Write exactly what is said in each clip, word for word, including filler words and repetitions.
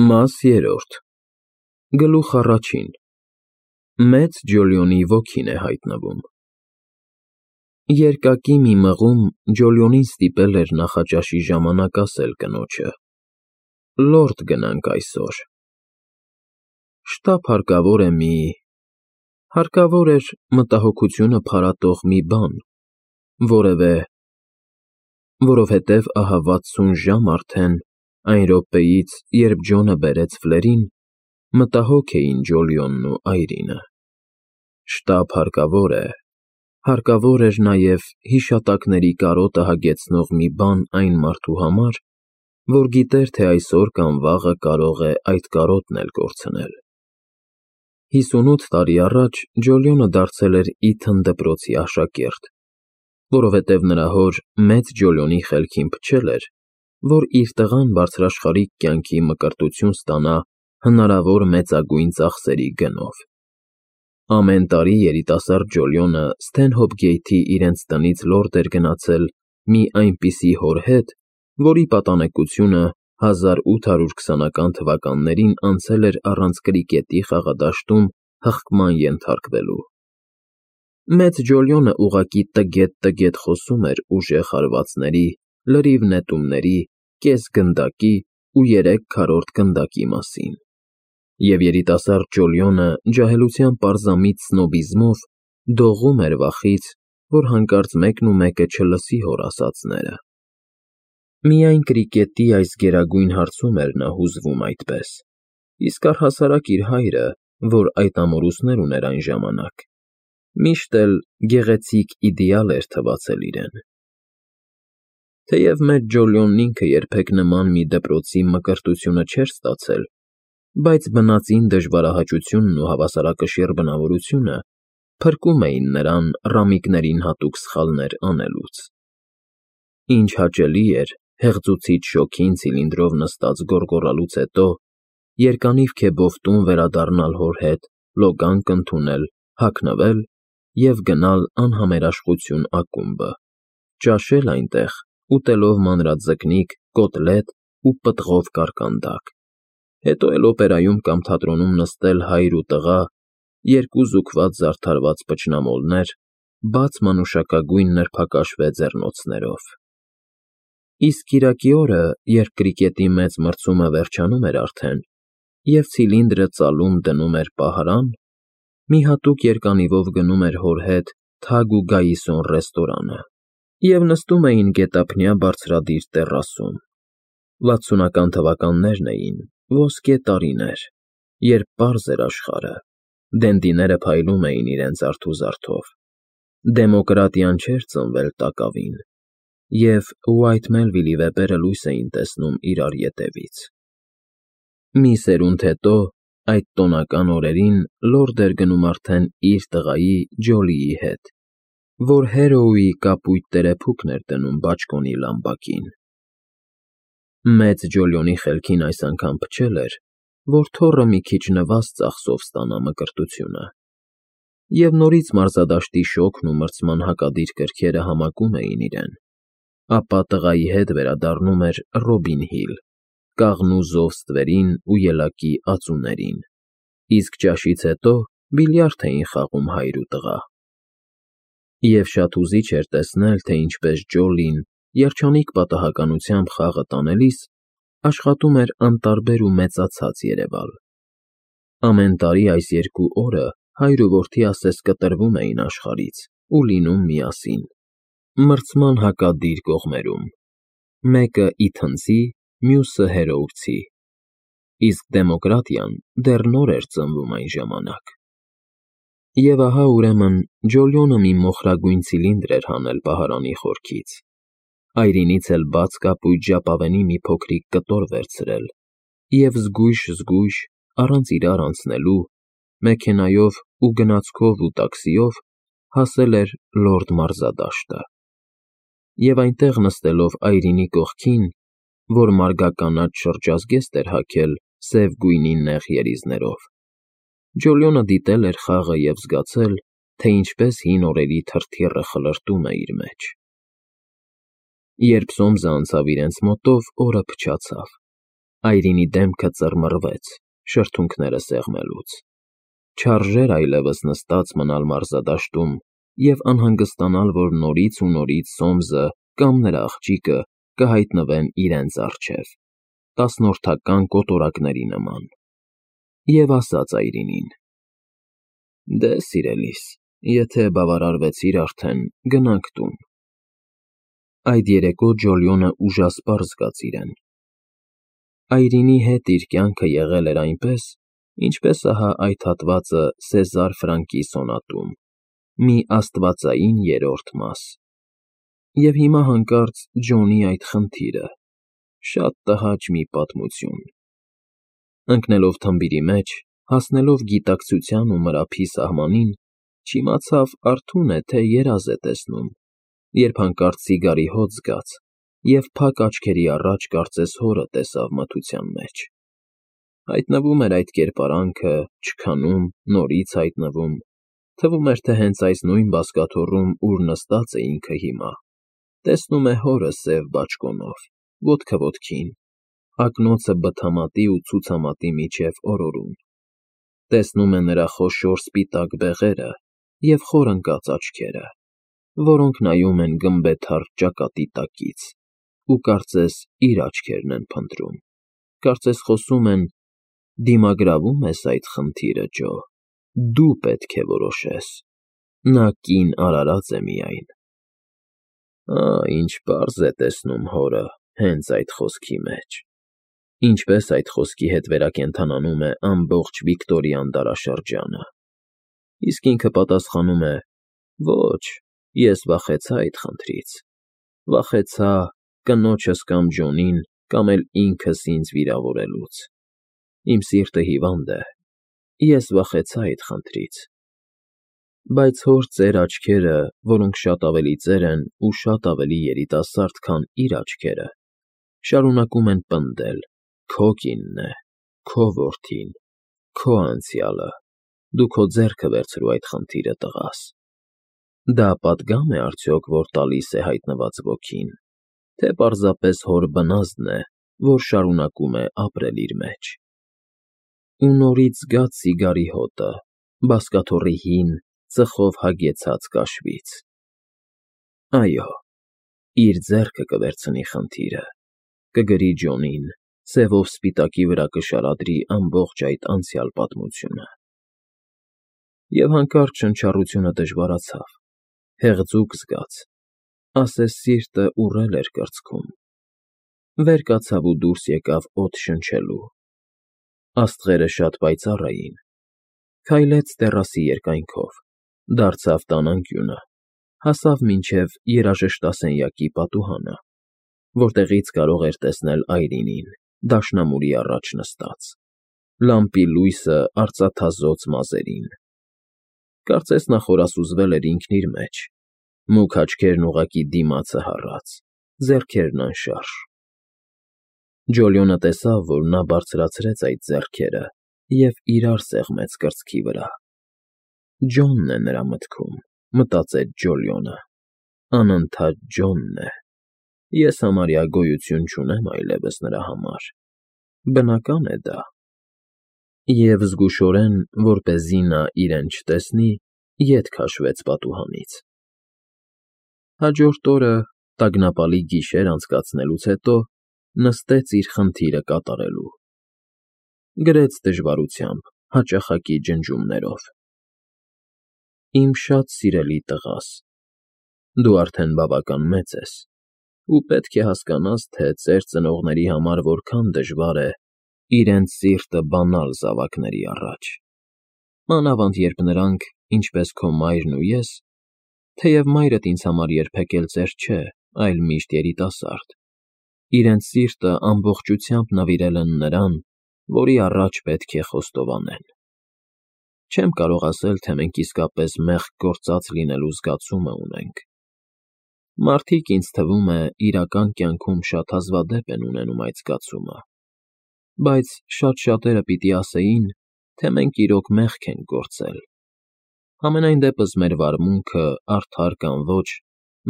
Մաս երրորդ Գլուխ առաջին Մեծ Ջոլիոնի ոգին է հայտնվում Երկակի մի մղում Ջոլիոնին ստիպել էր նախաճաշի ժամանակ ասել կնոջը. «Լորդ գնանք այսօր»։ Շտապ հարկավոր է մի… Հարկավոր էր մտահոգությունը փարատող մի բան, որևէ… Որովհետև ահա վաթսուն ժամ արդեն, այն րոպեից, երբ Ջոնը բերեց ֆլերին, մտահոգ էին Ջոլիոնն ու Այրինը։ Շտապ հարկավոր է… Հարկավոր էր նաև հիշատակների կարոտը հագեցնող մի բան այն մարդու համար, որ գիտեր, թե այսօր կամ վաղը կարող է այդ կարոտն էլ կորցնել։ Հիսունութ տարի առաջ Ջոլիոնը դարձել էր Իթն դպրոցի աշակերտ, որովհետև նրա հոր Մեծ Ջոլիոնի խելքին փչել էր, որ իր տղան բարձրաշխարհիկ կյանքի մկրտություն ստանա հնարավոր մեծագույն ծախսերի գնով։ Ամեն տարի երիտասարդ Ջոլիոնը Սթենհոփ իրենց տնից լորդ էր գնացել մի այնպիսի հոր հետ, որի պատանեկությունը հազար ութ հարյուր քսանական թվականներին անցել էր առանց կրիկետի խաղադաշտում հղկման ենթարկվելու։ Մեծ Ջոլիոնը ուղղակի տգետ֊տգետ խոսում էր ուժեղ հարվածների, լրիվ նետումների, կես֊գնդակի ու երեք քառորդ գնդակի մասին, և երիտասարդ Ջոլիոնը ջահելության պարզամիտ սնոբիզմով դողում էր վախից, որ հանկարծ մեկն ու մեկը չլսի հոր ասածները։ Միայն կրիկետի այս գերագույն հարցում էր նա հուզվում այդպես, իսկ առհասարակ իր հայրը, որ այդ ամորուսներ ուներ այն ժամանակ, միշտ էլ գեղեցիկ իդեալ էր թվացել իրեն։ Թեև Մեծ Ջոլիոնն ինքը երբեք նման մի դպրոցի մկրտությունը չէր ստացել, բայց բնածին դժվարահաճությունն ու հավասարակշիռ բնավորությունը փրկում էին նրան ռամիկներին հատուկ սխալներ անելուց։ Ինչ հաճելի էր հեղձուցիչ շոգին ցիլինդրով նստած գոռգոռալուց հետո երկանիվ քեֆով տուն վերադառնալ հոր հետ, լոգանք ընդունել, հագնվել և գնալ անհամերաշխություն ակումբը, ճաշել այնտեղ, ուտելով մանրաձկնիկ, կոտլետ ու պտղով կարկանդակ, հետո էլ օպերայում կամ թատրոնում նստել հայր ու տղա, երկու զուգված զարդարված փչնամոլներ, բաց մանուշակագույն նրբակաշվե ձեռնոցներով։ Իսկ կիրակի օրը, երբ կրիկետի մեծ մրցումը վերջանում էր արդեն, և ցիլինդրը ծալում դնում էր պահարան, մի հատուկ երկանիվով գնում էր հոր հետ Թագ ու Գայիսոն ռեստորանը և նստում էին գետափնյա բարձրադիր տեռասում։ Վաթսունական թվականներն էին, ոսկե տարիներ, երբ պարզ էր աշխարհը, դենդիները փայլում էին իրենց արթուզարդով, դեմոկրատիան չէր ծնվել տակավին, և Ուայթ Մելվիլի վեպերը լույս էին տեսնում իրար ետևից։ Մի սերունդ հետո, այդ տոնական օրերին լորդ էր գնում արդեն իր տղայի՝ Ջոլիի հետ, որ Հարոուի կապույտ տերեփուկն էր դնում բաճկոնի լամպակին։ Մեծ Ջոլիոնի խելքին այս անգամ փչել էր, որ թոռը մի քիչ նվազ ծախսով ստանա մկրտությունը, և նորից մարզադաշտի շոգն ու մրցման հակադիր կրքերը համակում էին իրեն, ապա տղայի հետ վերադառնում էր Ռոբին Հիլ, կաղնու զով ստվերին ու ելակի ածուներին, իսկ ճաշից հետո բիլիարդ էին խաղում հայր ու տղա։ Եվ շատ հուզիչ էր տեսնել, թե ինչպես Ջոլին, երջանիկ պատահականությամբ խաղը տանելիս, աշխատում էր անտարբեր ու մեծացած երևալ։ Ամեն տարի այս երկու օրը հայր ու որդի ասես կտրվում էին աշխարհից ու լինում միասին, մրցման հակադիր կողմերում, մեկը իթնցի, մյուսը հերոուցի, իսկ դեմոկրատիան դեռ նոր էր ծնվում այն ժամանակ։ Եվ ահա, ուրեմն, Ջոլիոնը մի մոխրագույն ցիլինդր էր հանել պահարանի խորքից, Այրինից էլ բաց կապույտ ժապավենի մի փոքրիկ կտոր վերցրել և զգույշ֊զգույշ, առանց իրար անցնելու, մեքենայով ու գնացքով ու տաքսիով հասել էր լորդ մարզադաշտը, և այնտեղ նստելով Այրինի կողքին, որ մարգականաչ շրջազգեստ էր հագել սև գույնի նեղ երիզներով, Ջոլիոնը դիտել էր խաղը և զգացել, թե ինչպես հին օրերի թրթիռը խլրտում է իր մեջ։ Երբ Սոմսը անցավ իրենց մոտով, օրը փչացավ, Այրինի դեմքը ծռմռվեց, շրթունքները սեղմելուց։ Չարժեր այլևս նստած մնալ մարզադաշտում և անհանգստանալ, որ նորից ու նորից Սոմսը կամ նրա աղջիկը կհայտնվեն իրենց առջև, տասնորդական կոտորակների նման։ Եվ ասաց Այրինին. «Դե, սիրելիս, եթե բավարարվեցիր արդեն, գնանք տուն»։ Այդ երեկո Ջոլիոնը ուժասպառ զգաց իրեն։ Այրինի հետ իր կյանքը եղել էր այնպես, ինչպես ահա այդ հատվածը Սեզար Ֆրանկի սոնատում, մի աստվածային երրորդ մաս։ Եվ հիմա հանկարծ Ջոնի այդ խնդիրը, շատ տհաճ մի պատմություն։ Ընկնելով թմբիրի մեջ, հասնելով գիտակցության ու մրափի սահմանին, չիմացավ արթո՞ւն է, թե երազ է տեսնում, երբ հանկարծ ծիգարի հոտ զգաց և փակ աչքերի առաջ կարծես հորը տեսավ մթության մեջ։ Հայտնվում էր այդ կերպարանքը, չքանում, նորից հայտնվում, թվում էր, թե հենց այս նույն բազկաթոռում, ուր նստած է ինքը հիմա, տեսնում է հորը սև բաճկոնով, ոտքը ոտքին, ակնոցը բթամատի ու ցուցամատի միջև օրորում, տեսնում է նրա խոշոր սպիտակ բեղերը և խոր ընկած աչքերը, որոնք նայում են գմբեթառ ճակատի տակից, ու կարծես իր աչքերն են փնտրում, կարծես խոսում են. «Դիմագրավո՞ւմ ես այդ խնդիրը, Ջո, դու պետք է որոշես, նա կին արարած է միայն»։ Ահ, ինչ պարզ է տեսնում հորը հենց այդ խոսքի մեջ, ինչպես այդ խոսքի հետ վերակենդանանում է ամբողջ Վիկտորյան դարաշրջանը, իսկ ինքը պատասխանում է. «Ոչ, ես վախեցա այդ խնդրից, վախեցա կնոջս կամ Ջոնին կամ էլ ինքս ինձ վիրավորելուց, իմ սիրտը հիվանդ է, ես վախեցա այդ խնդրից»։ Բայց հոր ծեր աչքերը, որոնք շատ ավելի ծեր են ու շատ ավելի երիտասարդ, քան իր աչքերը, շարունակում են պնդել. «Քո կինն է, քո որդին, քո անցյալը, դու քո ձեռքը վերցրու այդ խնդիրը, տղաս»։ Դա պատգա՞մ է արդյոք, որ տալիս է հայտնված ոգին, թե պարզապես հոր բնազդն է, որ շարունակում է ապրել իր մեջ։ Ու նորից զգաց ծիգարի հոտը, բազկաթոռի հին, ծխով հագեցած կաշվից։ Այո, իր ձեռքը կվերցնի խնդիրը, կգրի Ջոնին, սևով սպիտակի վրա կշարադրի ամբողջ այդ անցյալ պատմությունը։ Եվ հանկարծ շնչառությունը դժվարացավ, հեղձուկ զգաց, ասես սիրտը ուռել էր կրծքում։ Վեր կացավ ու դուրս եկավ օդ շնչելու։ Աստղերը շատ պայծառ էին։ Քայլեց տեռասի երկայնքով, դարձավ տան անկյունը, հասավ մինչև երաժշտասենյակի պատուհանը, որտեղից կարող էր տեսնել Այրինին, դաշնամուրի առաջ նստած, լամպի լույսը արծաթազօծ մազերին։ Կարծես նա խորասուզվել էր ինքն իր մեջ, մուգ աչքերն ուղղակի դիմացը հառած, ձեռքերն անշարժ։ Ջոլիոնը տեսավ, որ նա բարձրացրեց այդ ձեռքերը և իրար սեղմեց կրծքի վրա։ Ջոնն է նրա մտքում, մտածեց Ջոլիոնը, անընդհատ Ջոնն է։ Ես համարյա գոյություն չունեմ այլևս նրա համար, բնական է դա։ Եվ զգուշորեն, որպեսզի նա իրեն չտեսնի, ետ քաշվեց պատուհանից։ Հաջորդ օրը, տագնապալի գիշեր անցկացնելուց հետո, նստեց իր խնդիրը կատարելու։ Գրեց դժվարությամբ, հաճախակի ջնջումներով. «Իմ շատ սիրելի տղաս, դու արդեն բավական մեծ ես ու պետք է հասկանաս, թե ծեր ծնողների համար որքան դժվար է իրենց սիրտը բանալ զավակների առաջ, մանավանդ երբ նրանք, ինչպես քո մայրն ու ես, թեև մայրդ ինձ համար երբեք էլ ծեր չէ, այլ միշտ երիտասարդ, իրենց սիրտը ամբողջությամբ նվիրել են նրան, որի առաջ պետք է խոստովանեն։ Չեմ կարող ասել, թե մենք իսկապես մեղք գործած լինելու զգացումը ունենք։ Մարդիկ, ինձ թվում է, իրական կյանքում շատ հազվադեպ են ունենում այդ զգացումը, բայց շատ շատերը պիտի ասեին, թե մենք իրոք մեղք ենք գործել։ Համենայն դեպս մեր վարմունքը, արդար կամ ոչ,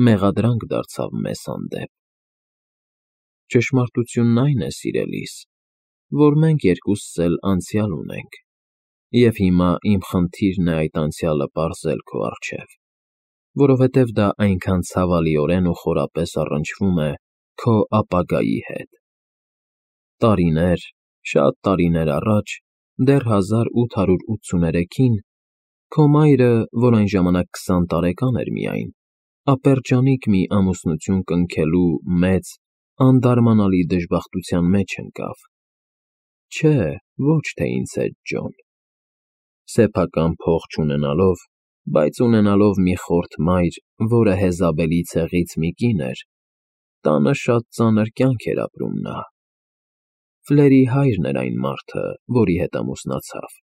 մեղադրանք դարձավ մեզ հանդեպ։ Ճշմարտությունն այն է, սիրելիս, որ մենք երկուսս էլ անցյալ ունենք, և հիմա իմ խնդիրն է այդ անցյալը պարզել քո առջև, որովհետև դա այնքան ցավալիորեն ու խորապես առնչվում է քո ապագայի հետ։ Տարիներ, շատ տարիներ առաջ, դեռ հազար ութ հարյուր ութսուներեքին, քո մայրը, որ այն ժամանակ քսան տարեկան էր միայն, ապերջանիկ մի ամուսնություն կնքելու մեծ, անդարմանալի դժբախտության մեջ ընկավ։ Չէ, ոչ թե ինձ հետ, Ջոն։ Սեփական փող չունենալով, բայց ունենալով մի խորթ մայր, որը Եզաբելի ցեղից մի կին էր, տանը շատ ծանր կյանք էր ապրում նա։ Ֆլերի հայրն էր այն մարդը, որի հետ ամուսնացավ,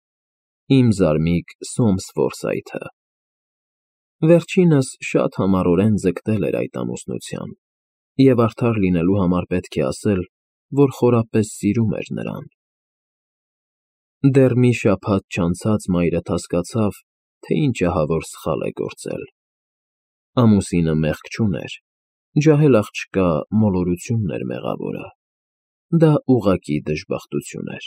իմ զարմիկ Սոմս Ֆորսայթը։ Վերջինս շատ համառորեն ձգտել էր այդ ամուսնության, և արդար լինելու համար պետք է ասել, որ խորապես սիրում էր նրան։ Դեռ մի շաբաթ չանցած մայրդ հասկացավ, թե ինչ ահավոր սխալ է գործել։ Ամուսինը մեղք չուներ, ջահել աղջկա մոլորությունն էր մեղավորը։ Դա ուղղակի դժբախտություն էր։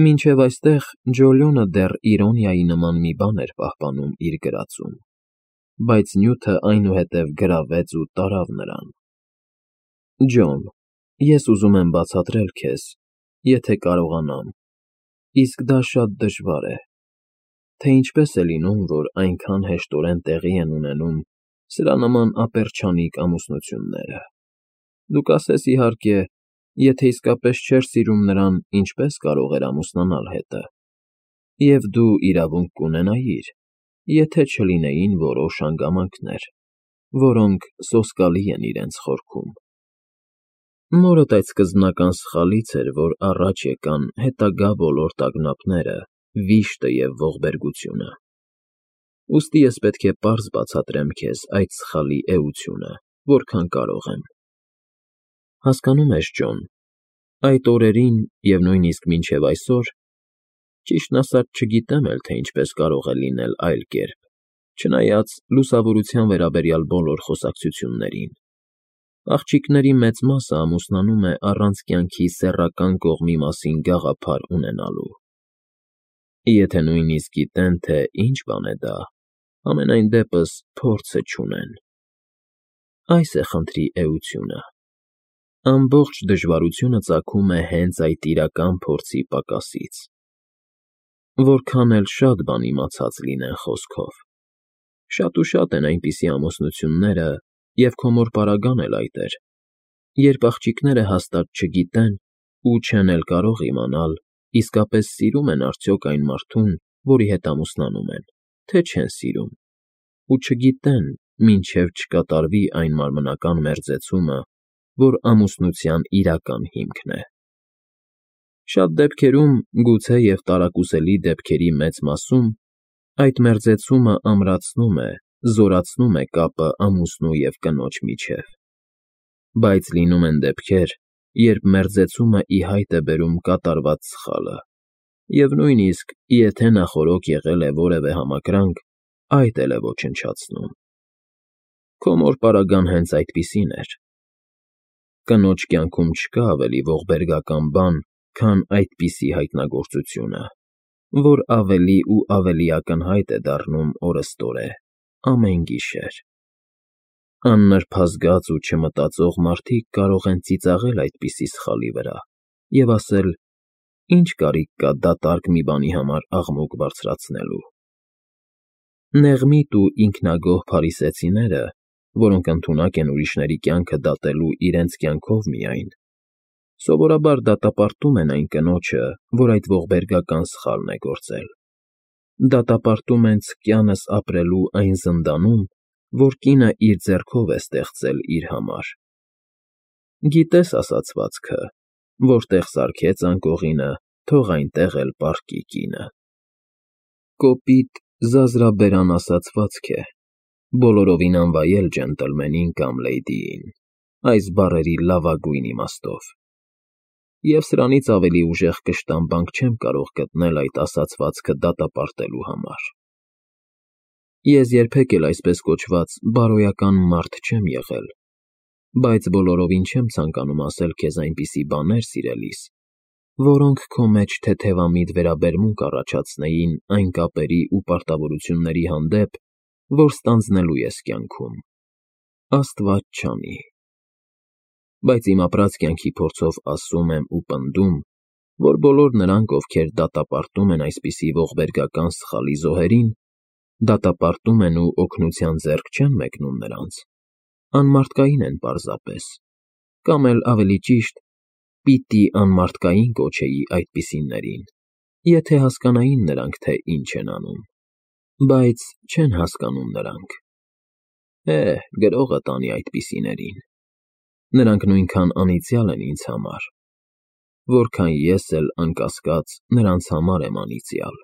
Մինչև այստեղ Ջոլիոնը դեռ իրոնիայի նման մի բան էր պահպանում իր գրածում, բայց նյութը այնուհետև գրավեց ու տարավ նրան։ Ջոն, ես ուզում եմ բացատրել քեզ, եթե կարողանամ, իսկ դա շատ դժվար է, թե ինչպես է լինում, որ այնքան հեշտորեն տեղի են ունենում սրանման ապերջանիկ ամուսնությունները։ Դու կասես, իհարկե, եթե իսկապես չէր սիրում նրան, ինչպես կարող էր ամուսնանալ հետը, և դու իրավունք կունենայիր, եթե չլինեին որոշ հանգամանքներ, որոնք սոսկալի են իրենց խորքում։ Մորդ այդ սկզբնական սխալից էր, որ առաջ եկան հետագա բոլոր տագնապները, վիշտը և ողբերգությունը։ Ուստի ես պետք է պարզ բացատրեմ քեզ այդ սխալի էությունը, որքան կարող եմ։ Հասկանո՞ւմ ես, Ջոն, այդ օրերին և նույնիսկ մինչև այսօր, ճիշտն ասած չգիտեմ էլ, թե ինչպես կարող է լինել այլ կերպ, չնայած լուսավորության վերաբերյալ բոլոր խոսակցություններին, աղջիկների մեծ մասը ամուսնանում է առանց կյանքի սեռական կողմի մասին գաղափար ունենալու։ Եթե նույնիսկ գիտեն, թե ինչ բան է դա, համենայն դեպս փորձը չունեն։ Այս է խնդրի էությունը։ Ամբողջ դժվարությունը ծագում է հենց այդ իրական փորձի պակասից։ Որքան էլ շատ բան իմացած լինեն խոսքով։ Շատ ու շատ են այնպիսի ամուսնությունները, և քո մոր պարագան էլ այդ էր, երբ աղջիկները հաստատ չգիտեն ու չեն էլ կարող իմանալ, իսկապես սիրում են արդյոք այն մարդուն, որի հետ ամուսնանում են, թե չեն սիրում, ու չգիտեն, մինչև չկատարվի այն մարմնական մերձեցումը, որ ամուսնության իրական հիմքն է։ Շատ դեպքերում, գուցե և տարակուսելի դեպքերի մեծ մասում, այդ մերձեցումը ամրացնում է, զորացնում է կապը ամուսնու և կնոջ միջև։ Բայց լինում են դեպքեր, երբ մերձեցումը ի հայտ է բերում կատարված սխալը, և նույնիսկ, եթե նախօրոք եղել է որևէ համակրանք, այդ էլ է ոչնչացնում։ Քո մոր պարագան հենց այդպիսին էր։ Կնոջ կյանքում չկա ավելի ողբերգական բան, քան այդպիսի հայտնագործությունը, որ ավելի ու ավելի ակնհայտ է դառնում օրըստօրե, ամեն գիշեր։ Աննրբազգաց ու չմտածող մարդիկ կարող են ծիծաղել այդպիսի սխալի վրա և ասել. «Ինչ կարիք կա դատարկ մի բանի համար աղմուկ բարձրացնելու»։ Նեղմիտ ու ինքնագոհ փարիսեցիները, որոնք ընդունակ են ուրիշների կյանքը դատելու իրենց կյանքով միայն, սովորաբար դատապարտում են այն կնոջը, որ այդ ողբերգական սխալն է գործել։ Դատապարտում են ցկյանս ապրելու այն զնդանում, որ կինը իր ձեռքով է ստեղծել իր համար։ Գիտես ասացվածքը. որտեղ սարքեց անկողինը, թող այնտեղ էլ պառկի կինը։ Կոպիտ, զազրաբերան ասացվածք է, բոլորովին անվայել ջենտլմենին կամ լեյդիին, այս բառերի լավագույն իմաստով։ Եվ սրանից ավելի ուժեղ կշտամբանք չեմ կարող գտնել այդ ասացվածքը դատապարտելու համար։ Ես երբեք էլ այսպես կոչված բարոյական մարդ չեմ եղել, Բայց բոլորովին չեմ ցանկանում ասել քեզ այնպիսի բաներ, սիրելիս, որոնք քո մեջ թեթևամիտ վերաբերմունք առաջացնեին այն կապերի ու պարտավորությունների հանդեպ, որ ստանձնելու ես կյանքում, աստված չանի։ Բայց իմ ապրած կյանքի փորձով ասում եմ ու պնդում, որ բոլոր նրանք, ովքեր դատապարտում են այսպիսի ողբերգական սխալի զոհերին, դատապարտում են ու օգնության ձեռք չեն մեկնում նրանց, անմարդկային են պարզապես, կամ էլ ավելի ճիշտ, պիտի անմարդկային կոչեի այդպիսիներին, եթե հասկանային նրանք, թե ինչ են անում, բայց չեն հասկանում նրանք։ Է, գրողը տանի այդպիսիներին, նրանք նույնքան անիծյալ են ինձ համար, որքան ես էլ, անկասկած, նրանց համար եմ անիծյալ։